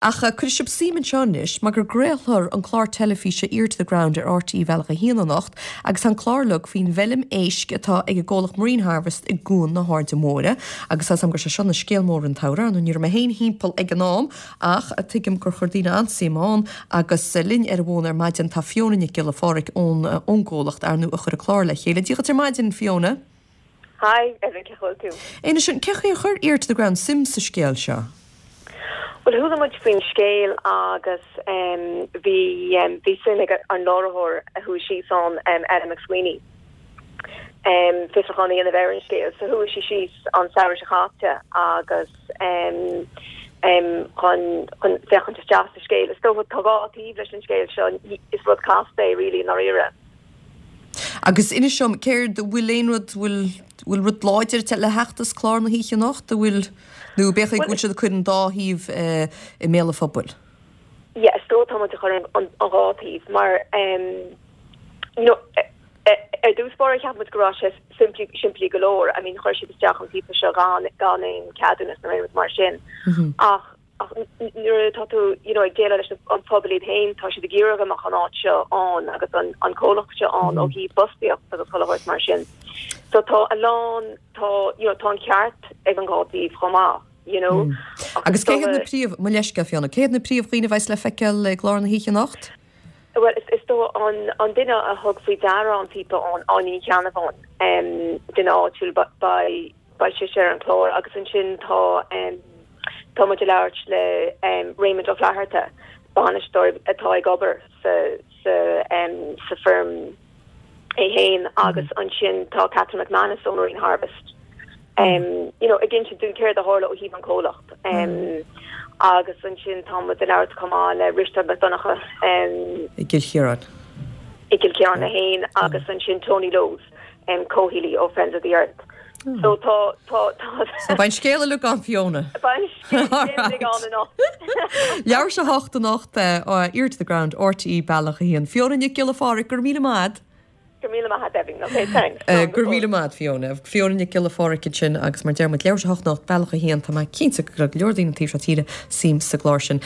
Ach cuirfidh sibh suim anseo anois mar go gcraolfar an clár teilifíse Ear to the Ground ar RTÉ Bealach 1 anocht agus tá an clár uilig faoin bhfeilm éisc atá ag an gcomhlacht Marine Harvest i gCuan na hAirde Móire agus tá 's agam go raibh sé seo ina scéal mór an tsamhradh, ar ndóigh ní raibh mé féin thimpeall ag an am ach tuigim gur chuir daoine an-suim ann agus linn ar an bhfón ar maidin tá Fiona Nic Giolla Phádraig ón ón gcomhlacht, ar ndóigh, a chuir an clár le chéile. Dia dhuit ar maidin, Fiona. Hi, Evan, cén chaoi a bhfuil tú? Inis dom, cén chaoi ar chuir Ear to the Ground suim sa scéal seo? Bhuel, chuala muid faoin scéal agus bhí bhí suim ag an láithreoir a chuaigh síos ann, Ella McSweeney, fiosrúchán a dhéanamh ar an scéal. So chuaigh sí síos an samhradh seo caite agus chun chun féachaint isteach sa scéal. Is dócha tá dhá taobh leis an scéal seo, is rud casta é really i ndáiríre. Agus inis dom, céard, bhfuil aon rud, bhfuil, bhfuil rud láidir le theacht as clár na hoíche anocht, an bhfuil, nó b'fhéidir go bhfuil siad ag cur an dá thaobh i mbéal an phobail? Yeah, is dóigh tá muid ag cur an dhá taobh mar, you know, ar dtús báire cheap muid go raibh sé simplí, simplí go leor, I mean chuir siad isteach an píopa seo gan, gan aon ceadúnas nó aon rud mar sin ach, Ach nuair atá tú you know ag déileáil leis an phobal iad féin, tá siad ag iarraidh go mbeadh an áit seo ann agus an an comhlacht seo ann ó thaobh fostaíocht agus chuile shórt mar sin. So tá a lán, tá you know tá an ceart ag an dhá taobh chomh maith, you know. Agus cé hiad na príomh, mo leithscéal Fiona, cé hiad na príomhdhaoine a bheas le feiceáil i gclár na hoíche anocht? Bhuel, is dóigh an an duine a thug faoi deara an píopa ann, Áine Ní Cheannabháin, duine áitiúil, beidh Beidh sise ar an chlár agus ansin tá tá muid ag labhairt le Raymond Ó Flatharta, bainisteoir atá ag obair sa sa sa feirm é féin agus ansin tá Catherine McManus ó Marine Harvest you know ag insint dúinn céard a tharla ó thaobh an comhlacht agus ansin tá muid ag labhairt chomh maith le Risteard Mac Donncha i gCill Chiaráin. I gCill Chiaráin é féin agus ansin Tony Lowes. comhshaolaí ó Friends of the Earth. So tá, tá, tá. So beidh an scéal uilig ann Fiona. Beidh an scéal uilig ann anocht. Leathuair tar éis a hocht anocht, Ear to the Ground, RTÉ Bealach 1. Fiona Nic Giolla Phádraig, go raibh míle maith agat. Go raibh míle maith agat Evan. Ok, thanks. Go raibh míle maith agat Fiona. Fiona Nic Giolla Phádraig ansin agus mar deir muid leathuair tar éis a hocht anocht, Bealach 1, tá mé cinnte go gcuirfidh go leor daoine an taobh seo tíre suim sa gclár sin.